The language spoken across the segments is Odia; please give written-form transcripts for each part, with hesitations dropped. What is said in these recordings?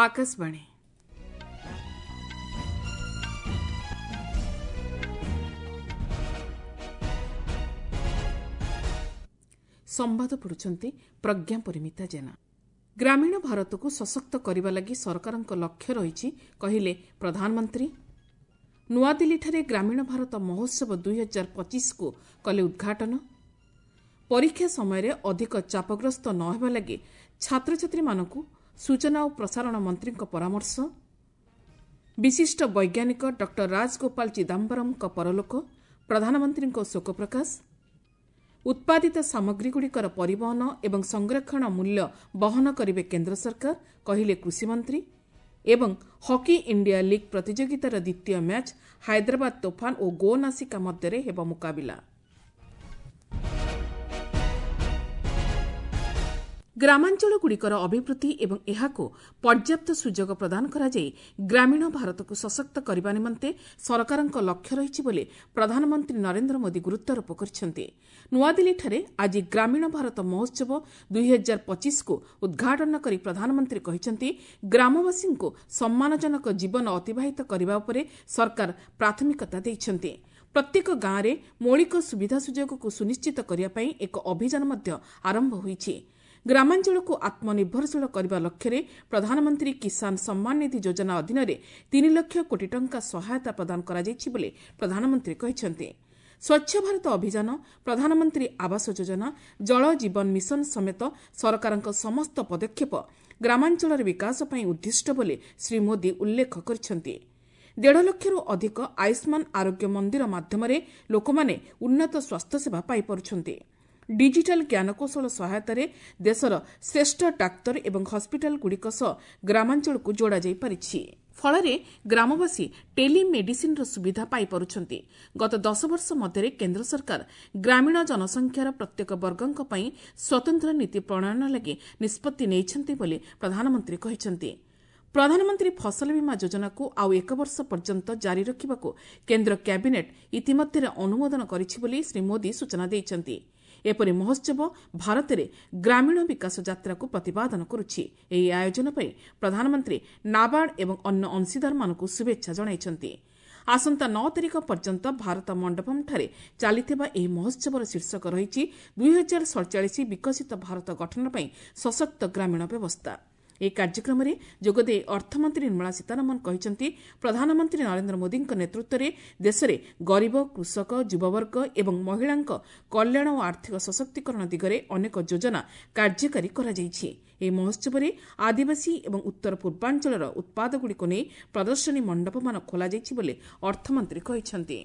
ଆକାଶବାଣୀ। ସମ୍ବାଦ ପଢ଼ୁଛନ୍ତି ପ୍ରଜ୍ଞା ପରିମିତା ଜେନା। ଗ୍ରାମୀଣ ଭାରତକୁ ସଶକ୍ତ କରିବା ଲାଗି ସରକାରଙ୍କ ଲକ୍ଷ୍ୟ ରହିଛି, କହିଲେ ପ୍ରଧାନମନ୍ତ୍ରୀ। ନୂଆଦିଲ୍ଲୀଠାରେ ଗ୍ରାମୀଣ ଭାରତ ମହୋତ୍ସବ 2025କୁ କଲେ ଉଦ୍ଘାଟନ। ପରୀକ୍ଷା ସମୟରେ ଅଧିକ ଚାପଗ୍ରସ୍ତ ନ ହେବା ଲାଗି ଛାତ୍ରଛାତ୍ରୀମାନଙ୍କୁ ସୂଚନା ଓ ପ୍ରସାରଣ ମନ୍ତ୍ରୀଙ୍କ ପରାମର୍ଶ। ବିଶିଷ୍ଟ ବୈଜ୍ଞାନିକ ଡକ୍ଟର ରାଜଗୋପାଳ ଚିଦାମ୍ବରମଙ୍କ ପରଲୋକ, ପ୍ରଧାନମନ୍ତ୍ରୀଙ୍କ ଶୋକ ପ୍ରକାଶ। ଉତ୍ପାଦିତ ସାମଗ୍ରୀଗୁଡ଼ିକର ପରିବହନ ଏବଂ ସଂରକ୍ଷଣ ମୂଲ୍ୟ ବହନ କରିବେ କେନ୍ଦ୍ର ସରକାର, କହିଲେ କୃଷିମନ୍ତ୍ରୀ। ଏବଂ ହକି ଇଣ୍ଡିଆ ଲିଗ୍ ପ୍ରତିଯୋଗିତାର ଦ୍ୱିତୀୟ ମ୍ୟାଚ୍ ହାଇଦ୍ରାବାଦ ତୋଫାନ ଓ ଗୋ ନାସିକା ମଧ୍ୟରେ ହେବ ମୁକାବିଲା। ଗ୍ରାମାଞ୍ଚଳଗୁଡ଼ିକର ଅଭିବୃଦ୍ଧି ଏବଂ ଏହାକୁ ପର୍ଯ୍ୟାପ୍ତ ସୁଯୋଗ ପ୍ରଦାନ କରାଯାଇ ଗ୍ରାମୀଣ ଭାରତକୁ ସଶକ୍ତ କରିବା ନିମନ୍ତେ ସରକାରଙ୍କ ଲକ୍ଷ୍ୟ ରହିଛି ବୋଲି ପ୍ରଧାନମନ୍ତ୍ରୀ ନରେନ୍ଦ୍ର ମୋଦି ଗୁରୁତ୍ୱାରୋପ କରିଛନ୍ତି। ନୂଆଦିଲ୍ଲୀଠାରେ ଆଜି ଗ୍ରାମୀଣ ଭାରତ ମହୋତ୍ସବ 2025କୁ ଉଦ୍ଘାଟନ କରି ପ୍ରଧାନମନ୍ତ୍ରୀ କହିଛନ୍ତି, ଗ୍ରାମବାସୀଙ୍କୁ ସମ୍ମାନଜନକ ଜୀବନ ଅତିବାହିତ କରିବା ଉପରେ ସରକାର ପ୍ରାଥମିକତା ଦେଇଛନ୍ତି। ପ୍ରତ୍ୟେକ ଗାଁରେ ମୌଳିକ ସୁବିଧା ସୁଯୋଗକୁ ସୁନିଶ୍ଚିତ କରିବା ପାଇଁ ଏକ ଅଭିଯାନ ମଧ୍ୟ ଆରମ୍ଭ ହୋଇଛି। ଗ୍ରାମାଞ୍ଚଳକୁ ଆତ୍ମନିର୍ଭରଶୀଳ କରିବା ଲକ୍ଷ୍ୟରେ ପ୍ରଧାନମନ୍ତ୍ରୀ କିଷାନ ସମ୍ମାନ ନିଧି ଯୋଜନା ଅଧୀନରେ 3 ଲକ୍ଷ କୋଟି ଟଙ୍କା ସହାୟତା ପ୍ରଦାନ କରାଯାଇଛି ବୋଲି ପ୍ରଧାନମନ୍ତ୍ରୀ କହିଛନ୍ତି। ସ୍ୱଚ୍ଛ ଭାରତ ଅଭିଯାନ, ପ୍ରଧାନମନ୍ତ୍ରୀ ଆବାସ ଯୋଜନା, ଜଳ ଜୀବନ ମିଶନ ସମେତ ସରକାରଙ୍କ ସମସ୍ତ ପଦକ୍ଷେପ ଗ୍ରାମାଞ୍ଚଳର ବିକାଶ ପାଇଁ ଉଦ୍ଦିଷ୍ଟ ବୋଲି ଶ୍ରୀ ମୋଦି ଉଲ୍ଲେଖ କରିଛନ୍ତି। 1.5 ଲକ୍ଷରୁ ଅଧିକ ଆୟୁଷ୍ମାନ ଆରୋଗ୍ୟ ମନ୍ଦିର ମାଧ୍ୟମରେ ଲୋକମାନେ ଉନ୍ନତ ସ୍ୱାସ୍ଥ୍ୟସେବା ପାଇପାରୁଛନ୍ତି। ଡିଜିଟାଲ ଜ୍ଞାନକୌଶଳ ସହାୟତାରେ ଦେଶର ଶ୍ରେଷ୍ଠ ଡାକ୍ତର ଏବଂ ହସ୍ପିଟାଲଗୁଡ଼ିକ ସହ ଗ୍ରାମାଞ୍ଚଳକୁ ଯୋଡ଼ାଯାଇପାରିଛି। ଫଳରେ ଗ୍ରାମବାସୀ ଟେଲିମେଡିସିନ୍ର ସୁବିଧା ପାଇପାରୁଛନ୍ତି। ଗତ 10 ବର୍ଷ ମଧ୍ୟରେ କେନ୍ଦ୍ର ସରକାର ଗ୍ରାମୀଣ ଜନସଂଖ୍ୟାର ପ୍ରତ୍ୟେକ ବର୍ଗଙ୍କ ପାଇଁ ସ୍ୱତନ୍ତ୍ର ନୀତି ପ୍ରଣୟନ ଲାଗି ନିଷ୍ପତ୍ତି ନେଇଛନ୍ତି ବୋଲି ପ୍ରଧାନମନ୍ତ୍ରୀ କହିଛନ୍ତି। ପ୍ରଧାନମନ୍ତ୍ରୀ ଫସଲ ବୀମା ଯୋଜନାକୁ ଆଉ ଏକ ବର୍ଷ ପର୍ଯ୍ୟନ୍ତ ଜାରି ରଖିବାକୁ କେନ୍ଦ୍ର କ୍ୟାବିନେଟ୍ ଇତିମଧ୍ୟରେ ଅନୁମୋଦନ କରିଛି ବୋଲି ଶ୍ରୀ ମୋଦି ସୂଚନା ଦେଇଛନ୍ତି। ଏପରି ମହୋତ୍ସବ ଭାରତରେ ଗ୍ରାମୀଣ ବିକାଶ ଯାତ୍ରାକୁ ପ୍ରତିପାଦନ କରୁଛି। ଏହି ଆୟୋଜନ ପାଇଁ ପ୍ରଧାନମନ୍ତ୍ରୀ ନାବାର୍ଡ ଏବଂ ଅନ୍ୟ ଅଂଶୀଦାରମାନଙ୍କୁ ଶୁଭେଚ୍ଛା ଜଣାଇଛନ୍ତି। ଆସନ୍ତା 9 ତାରିଖ ପର୍ଯ୍ୟନ୍ତ ଭାରତ ମଣ୍ଡପମ୍ଠାରେ ଚାଲିଥିବା ଏହି ମହୋତ୍ସବର ଶୀର୍ଷକ ରହିଛି 2047 ବିକଶିତ ଭାରତ ଗଠନ ପାଇଁ ସଶକ୍ତ ଗ୍ରାମୀଣ ବ୍ୟବସ୍ଥା। ଏହି କାର୍ଯ୍ୟକ୍ରମରେ ଯୋଗଦେଇ ଅର୍ଥମନ୍ତ୍ରୀ ନିର୍ମଳା ସୀତାରମଣ କହିଛନ୍ତି, ପ୍ରଧାନମନ୍ତ୍ରୀ ନରେନ୍ଦ୍ର ମୋଦିଙ୍କ ନେତୃତ୍ୱରେ ଦେଶରେ ଗରିବ, କୃଷକ, ଯୁବବର୍ଗ ଏବଂ ମହିଳାଙ୍କ କଲ୍ୟାଣ ଓ ଆର୍ଥିକ ସଶକ୍ତିକରଣ ଦିଗରେ ଅନେକ ଯୋଜନା କାର୍ଯ୍ୟକାରୀ କରାଯାଇଛି। ଏହି ମହୋତ୍ସବରେ ଆଦିବାସୀ ଏବଂ ଉତ୍ତର ପୂର୍ବାଞ୍ଚଳର ଉତ୍ପାଦଗୁଡ଼ିକୁ ନେଇ ପ୍ରଦର୍ଶନୀ ମଣ୍ଡପମାନ ଖୋଲାଯାଇଛି ବୋଲି ଅର୍ଥମନ୍ତ୍ରୀ କହିଛନ୍ତି।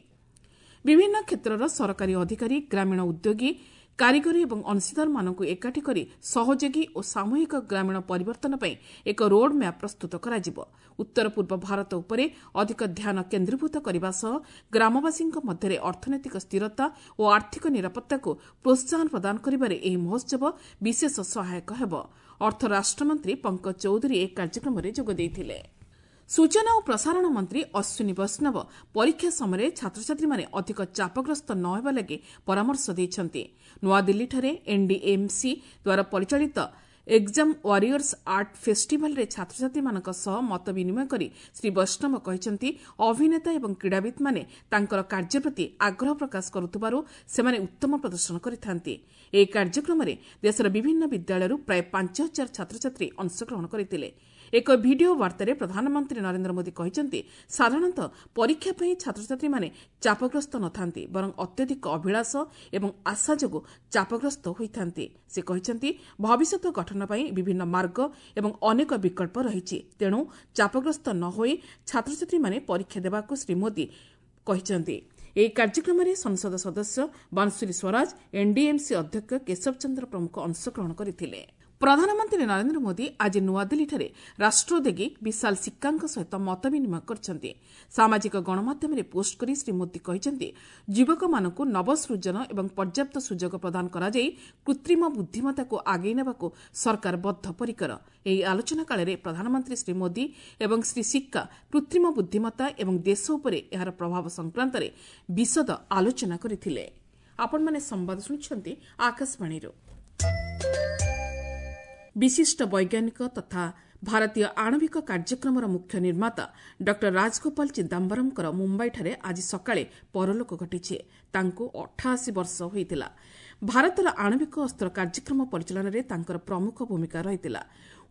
ବିଭିନ୍ନ କ୍ଷେତ୍ରର ସରକାରୀ ଅଧିକାରୀ, ଗ୍ରାମୀଣ ଉଦ୍ୟୋଗୀ, କାରିଗରୀ ଏବଂ ଅଂଶୀଦାରମାନଙ୍କୁ ଏକାଠି କରି ସହଯୋଗୀ ଓ ସାମୂହିକ ଗ୍ରାମୀଣ ପରିବର୍ତ୍ତନ ପାଇଁ ଏକ ରୋଡ୍ ମ୍ୟାପ୍ ପ୍ରସ୍ତୁତ କରାଯିବ। ଉତ୍ତର ପୂର୍ବ ଭାରତ ଉପରେ ଅଧିକ ଧ୍ୟାନ କେନ୍ଦ୍ରୀଭୂତ କରିବା ସହ ଗ୍ରାମବାସୀଙ୍କ ମଧ୍ୟରେ ଅର୍ଥନୈତିକ ସ୍ଥିରତା ଓ ଆର୍ଥିକ ନିରାପତ୍ତାକୁ ପ୍ରୋତ୍ସାହନ ପ୍ରଦାନ କରିବାରେ ଏହି ମହୋତ୍ସବ ବିଶେଷ ସହାୟକ ହେବ। ଅର୍ଥ ରାଷ୍ଟ୍ରମନ୍ତ୍ରୀ ପଙ୍କଜ ଚୌଧୁରୀ ଏହି କାର୍ଯ୍ୟକ୍ରମରେ ଯୋଗ ଦେଇଥିଲେ। ସୂଚନା ଓ ପ୍ରସାରଣ ମନ୍ତ୍ରୀ ଅଶ୍ୱିନୀ ବୈଷ୍ଣବ ପରୀକ୍ଷା ସମୟରେ ଛାତ୍ରଛାତ୍ରୀମାନେ ଅଧିକ ଚାପଗ୍ରସ୍ତ ନ ହେବା ଲାଗି ପରାମର୍ଶ ଦେଇଛନ୍ତି। ନୂଆଦିଲ୍ଲୀଠାରେ ଏନ୍ଡିଏମ୍ସି ଦ୍ୱାରା ପରିଚାଳିତ ଏକ୍ଜାମ୍ ୱାରିୟର୍ସ ଆର୍ଟ ଫେଷ୍ଟିଭାଲରେ ଛାତ୍ରଛାତ୍ରୀମାନଙ୍କ ସହ ମତ ବିନିମୟ କରି ଶ୍ରୀ ବୈଷ୍ଣବ କହିଛନ୍ତି, ଅଭିନେତା ଏବଂ କ୍ରୀଡ଼ାବିତ୍ମାନେ ତାଙ୍କର କାର୍ଯ୍ୟ ପ୍ରତି ଆଗ୍ରହ ପ୍ରକାଶ କରୁଥିବାରୁ ସେମାନେ ଉତ୍ତମ ପ୍ରଦର୍ଶନ କରିଥାନ୍ତି। ଏହି କାର୍ଯ୍ୟକ୍ରମରେ ଦେଶର ବିଭିନ୍ନ ବିଦ୍ୟାଳୟରୁ ପ୍ରାୟ 5000 ଛାତ୍ରଛାତ୍ରୀ ଅଂଶଗ୍ରହଣ କରିଥିଲେ। ଏକ ଭିଡିଓ ବାର୍ତ୍ତାରେ ପ୍ରଧାନମନ୍ତ୍ରୀ ନରେନ୍ଦ୍ର ମୋଦି କହିଛନ୍ତି, ସାଧାରଣତଃ ପରୀକ୍ଷା ପାଇଁ ଛାତ୍ରଛାତ୍ରୀମାନେ ଚାପଗ୍ରସ୍ତ ନଥାନ୍ତି, ବରଂ ଅତ୍ୟଧିକ ଅଭିଳାଷ ଏବଂ ଆଶା ଯୋଗୁଁ ଚାପଗ୍ରସ୍ତ ହୋଇଥାନ୍ତି। ସେ କହିଛନ୍ତି, ଭବିଷ୍ୟତ ଗଠନ ପାଇଁ ବିଭିନ୍ନ ମାର୍ଗ ଏବଂ ଅନେକ ବିକଳ୍ପ ରହିଛି। ତେଣୁ ଚାପଗ୍ରସ୍ତ ନ ହୋଇ ଛାତ୍ରଛାତ୍ରୀମାନେ ପରୀକ୍ଷା ଦେବାକୁ ଶ୍ରୀ ମୋଦି କହିଛନ୍ତି। ଏହି କାର୍ଯ୍ୟକ୍ରମରେ ସଂସଦ ସଦସ୍ୟ ବାଂଶୁରୀ ସ୍ୱରାଜ, ଏନ୍ଡିଏମ୍ସି ଅଧ୍ୟକ୍ଷ କେଶବ ଚନ୍ଦ୍ର ପ୍ରମୁଖ ଅଂଶଗ୍ରହଣ କରିଥିଲେ। ପ୍ରଧାନମନ୍ତ୍ରୀ ନରେନ୍ଦ୍ର ମୋଦି ଆଜି ନୂଆଦିଲ୍ଲୀଠାରେ ରାଷ୍ଟ୍ରୋଦ୍ୟୋଗୀ ବିଶାଲ ସିକ୍କାଙ୍କ ସହିତ ମତ ବିନିମୟ କରିଛନ୍ତି। ସାମାଜିକ ଗଣମାଧ୍ୟମରେ ପୋଷ୍ଟ କରି ଶ୍ରୀ ମୋଦି କହିଛନ୍ତି, ଯୁବକମାନଙ୍କୁ ନବସୃଜନ ଏବଂ ପର୍ଯ୍ୟାପ୍ତ ସୁଯୋଗ ପ୍ରଦାନ କରାଯାଇ କୃତ୍ରିମ ବୁଦ୍ଧିମତ୍ତାକୁ ଆଗେଇ ନେବାକୁ ସରକାର ବଦ୍ଧପରିକର। ଏହି ଆଲୋଚନା କାଳରେ ପ୍ରଧାନମନ୍ତ୍ରୀ ଶ୍ରୀ ମୋଦି ଏବଂ ଶ୍ରୀ ସିକ୍କା କୃତ୍ରିମ ବୁଦ୍ଧିମତ୍ତା ଏବଂ ଦେଶ ଉପରେ ଏହାର ପ୍ରଭାବ ସଂକ୍ରାନ୍ତରେ ବିଶଦ ଆଲୋଚନା କରିଥିଲେ। ଆପଣମାନେ ସମ୍ବାଦ ଶୁଣୁଛନ୍ତି ଆକାଶବାଣୀରୁ। ବିଶିଷ୍ଟ ବୈଜ୍ଞାନିକ ତଥା ଭାରତୀୟ ଆଣବିକ କାର୍ଯ୍ୟକ୍ରମର ମୁଖ୍ୟ ନିର୍ମାତା ଡକ୍ଟର ରାଜଗୋପାଳ ଚିଦାମ୍ବରମଙ୍କର ମୁମ୍ବାଇଠାରେ ଆଜି ସକାଳେ ପରଲୋକ ଘଟିଛି। ତାଙ୍କୁ 88 ବର୍ଷ ହୋଇଥିଲା। ଭାରତର ଆଣବିକ ଅସ୍ତ୍ର କାର୍ଯ୍ୟକ୍ରମ ପରିଚାଳନାରେ ତାଙ୍କର ପ୍ରମୁଖ ଭୂମିକା ରହିଥିଲା।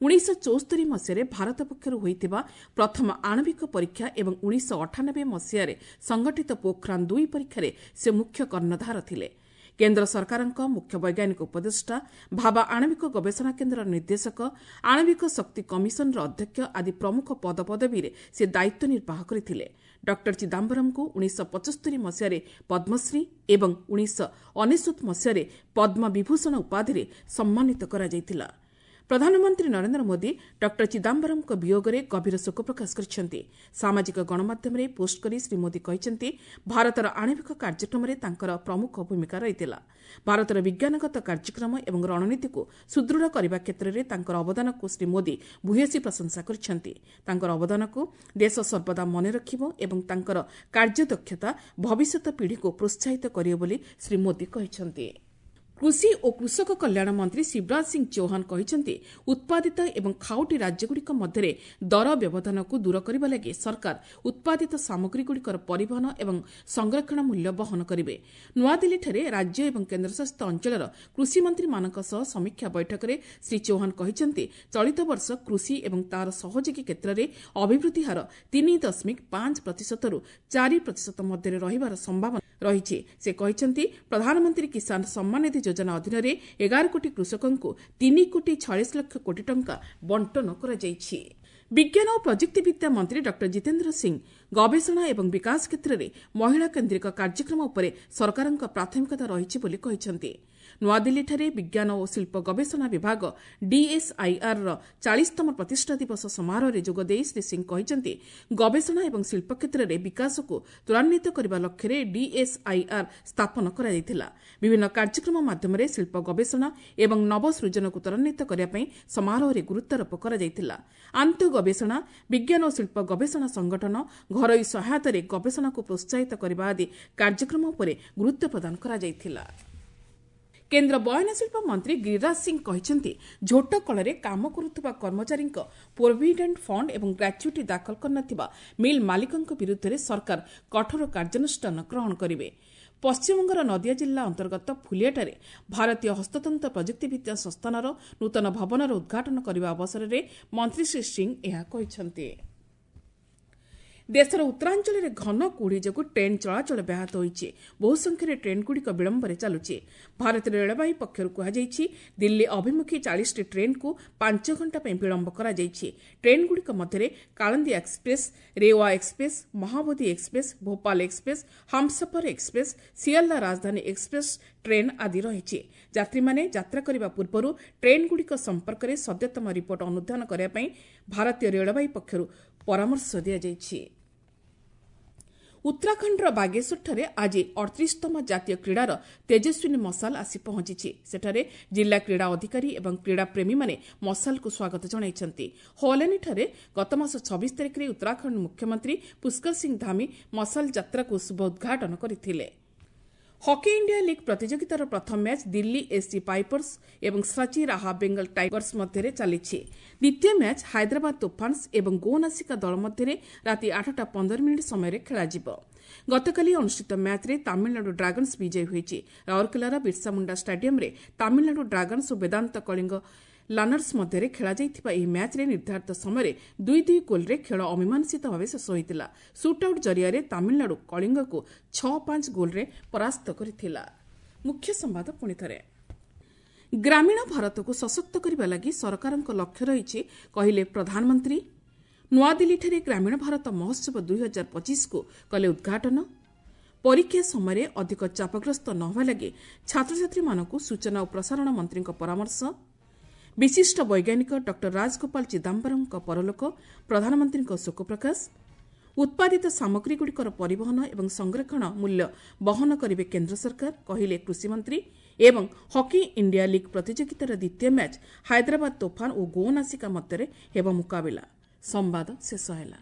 1974 ମସିହାରେ ଭାରତ ପକ୍ଷରୁ ହୋଇଥିବା ପ୍ରଥମ ଆଣବିକ ପରୀକ୍ଷା ଏବଂ 1998 ମସିହାରେ ସଂଗଠିତ ପୋଖ୍ରାନ୍ 2 ପରୀକ୍ଷାରେ ସେ ମୁଖ୍ୟ କର୍ଣ୍ଣଧାର ଥିଲେ। କେନ୍ଦ୍ର ସରକାରଙ୍କ ମୁଖ୍ୟ ବୈଜ୍ଞାନିକ ଉପଦେଷ୍ଟା, ଭାବା ଆଣବିକ ଗବେଷଣା କେନ୍ଦ୍ରର ନିର୍ଦ୍ଦେଶକ, ଆଣବିକ ଶକ୍ତି କମିଶନର ଅଧ୍ୟକ୍ଷ ଆଦି ପ୍ରମୁଖ ପଦପଦବୀରେ ସେ ଦାୟିତ୍ୱ ନିର୍ବାହ କରିଥିଲେ। ଡକ୍ଟର ଚିଦାମ୍ବରମଙ୍କୁ 1975 ମସିହାରେ ପଦ୍ମଶ୍ରୀ ଏବଂ 1999 ମସିହାରେ ପଦ୍ମବିଭୂଷଣ ଉପାଧିରେ ସମ୍ମାନିତ କରାଯାଇଥିଲା। ପ୍ରଧାନମନ୍ତ୍ରୀ ନରେନ୍ଦ୍ର ମୋଦି ଡକ୍ଟର ଚିଦାମ୍ବରମଙ୍କ ବିୟୋଗରେ ଗଭୀର ଶୋକ ପ୍ରକାଶ କରିଛନ୍ତି। ସାମାଜିକ ଗଣମାଧ୍ୟମରେ ପୋଷ୍ଟ କରି ଶ୍ରୀ ମୋଦି କହିଛନ୍ତି, ଭାରତର ଆଣବିକ କାର୍ଯ୍ୟକ୍ରମରେ ତାଙ୍କର ପ୍ରମୁଖ ଭୂମିକା ରହିଥିଲା। ଭାରତର ବିଜ୍ଞାନଗତ କାର୍ଯ୍ୟକ୍ରମ ଏବଂ ରଣନୀତିକୁ ସୁଦୃଢ଼ କରିବା କ୍ଷେତ୍ରରେ ତାଙ୍କର ଅବଦାନକୁ ଶ୍ରୀ ମୋଦି ଭୂୟସୀ ପ୍ରଶଂସା କରିଛନ୍ତି। ତାଙ୍କର ଅବଦାନକୁ ଦେଶ ସର୍ବଦା ମନେ ରଖିବ ଏବଂ ତାଙ୍କର କାର୍ଯ୍ୟଦକ୍ଷତା ଭବିଷ୍ୟତ ପିଢ଼ିକୁ ପ୍ରୋତ୍ସାହିତ କରିବ ବୋଲି ଶ୍ରୀ ମୋଦି କହିଛନ୍ତି। କୃଷି ଓ କୃଷକ କଲ୍ୟାଣ ମନ୍ତ୍ରୀ ଶିବରାଜ ସିଂ ଚୌହାନ କହିଛନ୍ତି, ଉତ୍ପାଦିତ ଏବଂ ଖାଉଟି ରାଜ୍ୟଗୁଡ଼ିକ ମଧ୍ୟରେ ଦର ବ୍ୟବଧାନକୁ ଦୂର କରିବା ଲାଗି ସରକାର ଉତ୍ପାଦିତ ସାମଗ୍ରୀଗୁଡ଼ିକର ପରିବହନ ଏବଂ ସଂରକ୍ଷଣ ମୂଲ୍ୟ ବହନ କରିବେ। ନୂଆଦିଲ୍ଲୀଠାରେ ରାଜ୍ୟ ଏବଂ କେନ୍ଦ୍ରଶାସିତ ଅଞ୍ଚଳର କୃଷିମନ୍ତ୍ରୀମାନଙ୍କ ସହ ସମୀକ୍ଷା ବୈଠକରେ ଶ୍ରୀ ଚୌହାନ କହିଛନ୍ତି, ଚଳିତ ବର୍ଷ କୃଷି ଏବଂ ତାହାର ସହଯୋଗୀ କ୍ଷେତ୍ରରେ ଅଭିବୃଦ୍ଧି ହାର 3.5 ପ୍ରତିଶତରୁ 4 ପ୍ରତିଶତ ମଧ୍ୟରେ ରହିବାର ସମ୍ଭାବନା ରହିଛି। ସେ କହିଛନ୍ତି, ପ୍ରଧାନମନ୍ତ୍ରୀ କିଷାନ ସମ୍ମାନ ନିଧି ଯୋଜନା ଅଧୀନରେ 11 କୋଟି କୃଷକଙ୍କୁ 3 କୋଟି 46 ଲକ୍ଷ କୋଟି ଟଙ୍କା ବଣ୍ଟନ କରାଯାଇଛି। ବିଜ୍ଞାନ ଓ ପ୍ରଯୁକ୍ତିବିଦ୍ୟା ମନ୍ତ୍ରୀ ଡକ୍ଟର ଜିତେନ୍ଦ୍ର ସିଂ ଗବେଷଣା ଏବଂ ବିକାଶ କ୍ଷେତ୍ରରେ ମହିଳା କେନ୍ଦ୍ରିକ କାର୍ଯ୍ୟକ୍ରମ ଉପରେ ସରକାରଙ୍କ ପ୍ରାଥମିକତା ରହିଛି ବୋଲି କହିଛନ୍ତି। ନୂଆଦିଲ୍ଲୀଠାରେ ବିଜ୍ଞାନ ଓ ଶିଳ୍ପ ଗବେଷଣା ବିଭାଗ ଡିଏସ୍ଆଇଆର୍ର 40ତମ ପ୍ରତିଷ୍ଠା ଦିବସ ସମାରୋହରେ ଯୋଗଦେଇ ଶ୍ରୀ ସିଂ କହିଛନ୍ତି, ଗବେଷଣା ଏବଂ ଶିଳ୍ପ କ୍ଷେତ୍ରରେ ବିକାଶକୁ ତ୍ୱରାନ୍ୱିତ କରିବା ଲକ୍ଷ୍ୟରେ ଡିଏସ୍ଆଇଆର୍ ସ୍ଥାପନ କରାଯାଇଥିଲା। ବିଭିନ୍ନ କାର୍ଯ୍ୟକ୍ରମ ମାଧ୍ୟମରେ ଶିଳ୍ପ ଗବେଷଣା ଏବଂ ନବସୃଜନକୁ ତ୍ୱରାନ୍ୱିତ କରିବା ପାଇଁ ସମାରୋହରେ ଗୁରୁତ୍ୱାରୋପ କରାଯାଇଥିଲା। ଆନ୍ତଃ ଗବେଷଣା, ବିଜ୍ଞାନ ଓ ଶିଳ୍ପ ଗବେଷଣା ସଂଗଠନ, ଘରୋଇ ସହାୟତାରେ ଗବେଷଣାକୁ ପ୍ରୋତ୍ସାହିତ କରିବା ଆଦି କାର୍ଯ୍ୟକ୍ରମ ଉପରେ ଗୁରୁତ୍ୱ ପ୍ରଦାନ କରାଯାଇଥିଲା। କେନ୍ଦ୍ର ବୟନଶିଳ୍ପ ମନ୍ତ୍ରୀ ଗିରିରାଜ ସିଂ କହିଛନ୍ତି, ଝୋଟ କଳରେ କାମ କରୁଥିବା କର୍ମଚାରୀଙ୍କ ପ୍ରୋଭିଡେଣ୍ଟ ଫଣ୍ଡ ଏବଂ ଗ୍ରାଚ୍ୟୁଇଟି ଦାଖଲ କରିନଥିବା ମିଲ୍ ମାଲିକଙ୍କ ବିରୁଦ୍ଧରେ ସରକାର କଠୋର କାର୍ଯ୍ୟାନୁଷ୍ଠାନ ଗ୍ରହଣ କରିବେ। ପଶ୍ଚିମବଙ୍ଗର ନଦିଆ ଜିଲ୍ଲା ଅନ୍ତର୍ଗତ ଫୁଲିଆଠାରେ ଭାରତୀୟ ହସ୍ତତନ୍ତ ପ୍ରଯୁକ୍ତିବିଦ୍ୟା ସଂସ୍ଥାନର ନୂତନ ଭବନର ଉଦ୍ଘାଟନ କରିବା ଅବସରରେ ମନ୍ତ୍ରୀ ଶ୍ରୀ ସିଂ ଏହା କହିଛନ୍ତି। ଦେଶର ଉତ୍ତରାଞ୍ଚଳରେ ଘନ କୁହୁଡ଼ି ଯୋଗୁଁ ଟ୍ରେନ୍ ଚଳାଚଳ ବ୍ୟାହତ ହୋଇଛି। ବହୁ ସଂଖ୍ୟାରେ ଟ୍ରେନ୍ଗୁଡ଼ିକ ବିଳମ୍ବରେ ଚାଲୁଛି। ଭାରତୀୟ ରେଳବାଇ ପକ୍ଷରୁ କୁହାଯାଇଛି, ଦିଲ୍ଲୀ ଅଭିମୁଖୀ 40ଟି ଟ୍ରେନ୍କୁ 5 ଘଣ୍ଟା ପାଇଁ ବିଳମ୍ବ କରାଯାଇଛି। ଟ୍ରେନ୍ଗୁଡ଼ିକ ମଧ୍ୟରେ Kalindi express, Rewa express, Mahabodhi express, Bhopal express, Humsafar express, Sealdah Rajdhani express train ଆଦି ରହିଛି। ଯାତ୍ରୀମାନେ ଯାତ୍ରା କରିବା ପୂର୍ବରୁ ଟ୍ରେନ୍ଗୁଡ଼ିକ ସମ୍ପର୍କରେ ସଦ୍ୟତମ ରିପୋର୍ଟ ଅନୁଧ୍ୟାନ କରିବା ପାଇଁ ଭାରତୀୟ ରେଳବାଇ ପକ୍ଷରୁ ପରାମର୍ଶ ଦିଆଯାଇଛି। ଉତ୍ତରାଖଣ୍ଡର ବାଗେଶ୍ୱରଠାରେ ଆଜି 38ତମ ଜାତୀୟ କ୍ରୀଡ଼ାର ତେଜସ୍ୱିନୀ ମଶାଲ ଆସି ପହଞ୍ଚିଛି। ସେଠାରେ ଜିଲ୍ଲା କ୍ରୀଡ଼ା ଅଧିକାରୀ ଏବଂ କ୍ରୀଡ଼ାପ୍ରେମୀମାନେ ମଶାଲକୁ ସ୍ୱାଗତ ଜଣାଇଛନ୍ତି। ହଲାନୀଠାରେ ଗତମାସ 26 ତାରିଖରେ ଉତ୍ତରାଖଣ୍ଡ ମୁଖ୍ୟମନ୍ତ୍ରୀ ପୁଷ୍କର ସିଂ ଧାମି ମଶାଲ ଯାତ୍ରାକୁ ଶୁଭ ଉଦ୍ଘାଟନ କରିଥିଲେ। ହକି ଇଣ୍ଡିଆ ଲିଗ୍ ପ୍ରତିଯୋଗିତାର ପ୍ରଥମ ମ୍ୟାଚ୍ ଦିଲ୍ଲୀ ଏସ୍ସି ପାଇପର୍ସ ଏବଂ ସାଚି ରାହା ବେଙ୍ଗଲ ଟାଇଗର୍ସ ମଧ୍ୟରେ ଚାଲିଛି। ଦ୍ୱିତୀୟ ମ୍ୟାଚ୍ ହାଇଦ୍ରାବାଦ ତୋଫାନ୍ସ ଏବଂ ଗୋନାସିକା ଦଳ ମଧ୍ୟରେ ରାତି 8:15 ସମୟରେ ଖେଳାଯିବ। ଗତକାଲି ଅନୁଷ୍ଠିତ ମ୍ୟାଚ୍ରେ ତାମିଲନାଡୁ ଡ୍ରାଗନ୍ସ ବିଜୟୀ ହୋଇଛି। ରାଉରକେଲାର ବିର୍ସାମୁଣ୍ଡା ଷ୍ଟାଡିୟମ୍ରେ ତାମିଲନାଡୁ ଡ୍ରାଗନ୍ସ ଓ ବେଦାନ୍ତ କଳିଙ୍ଗ ଲାନର୍ସ ମଧ୍ୟରେ ଖେଳାଯାଇଥିବା ଏହି ମ୍ୟାଚ୍ରେ ନିର୍ଦ୍ଧାରିତ ସମୟରେ 2-2 ଗୋଲ୍ରେ ଖେଳ ଅମୀମାଂସିତ ଭାବେ ଶେଷ ହୋଇଥିଲା। ସୁଟ୍ଆଉଟ୍ ଜରିଆରେ ତାମିଲନାଡୁ କଳିଙ୍ଗକୁ 6-5 ଗୋଲ୍ରେ ପରାସ୍ତ କରିଥିଲା। ମୁଖ୍ୟ ସମ୍ବାଦ ପୁଣିଥରେ। ଗ୍ରାମୀଣ ଭାରତକୁ ସଶକ୍ତ କରିବା ଲାଗି ସରକାରଙ୍କ ଲକ୍ଷ୍ୟ ରହିଛି, କହିଲେ ପ୍ରଧାନମନ୍ତ୍ରୀ। ନୂଆଦିଲ୍ଲୀଠାରେ ଗ୍ରାମୀଣ ଭାରତ ମହୋତ୍ସବ 2025କୁ କଲେ ଉଦ୍ଘାଟନ। ପରୀକ୍ଷା ସମୟରେ ଅଧିକ ଚାପଗ୍ରସ୍ତ ନ ହେବା ଲାଗି ଛାତ୍ରଛାତ୍ରୀମାନଙ୍କୁ ସୂଚନା ଓ ପ୍ରସାରଣ ମନ୍ତ୍ରୀଙ୍କ ପରାମର୍ଶ। ବିଶିଷ୍ଟ ବୈଜ୍ଞାନିକ ଡକ୍ଟର ରାଜଗୋପାଳ ଚିଦାମ୍ବରମଙ୍କ ପରଲୋକ, ପ୍ରଧାନମନ୍ତ୍ରୀଙ୍କ ଶୋକ ପ୍ରକାଶ। ଉତ୍ପାଦିତ ସାମଗ୍ରୀଗୁଡ଼ିକର ପରିବହନ ଏବଂ ସଂରକ୍ଷଣ ମୂଲ୍ୟ ବହନ କରିବେ କେନ୍ଦ୍ର ସରକାର, କହିଲେ କୃଷିମନ୍ତ୍ରୀ। ଏବଂ ହକି ଇଣ୍ଡିଆ ଲିଗ୍ ପ୍ରତିଯୋଗିତାର ଦ୍ୱିତୀୟ ମ୍ୟାଚ୍ ହାଇଦ୍ରାବାଦ ତୋଫାନ ଓ ଗୋନାସିକା ମଧ୍ୟରେ ହେବ ମୁକାବିଲା। ସମ୍ବାଦ ଶେଷ ହେଲା।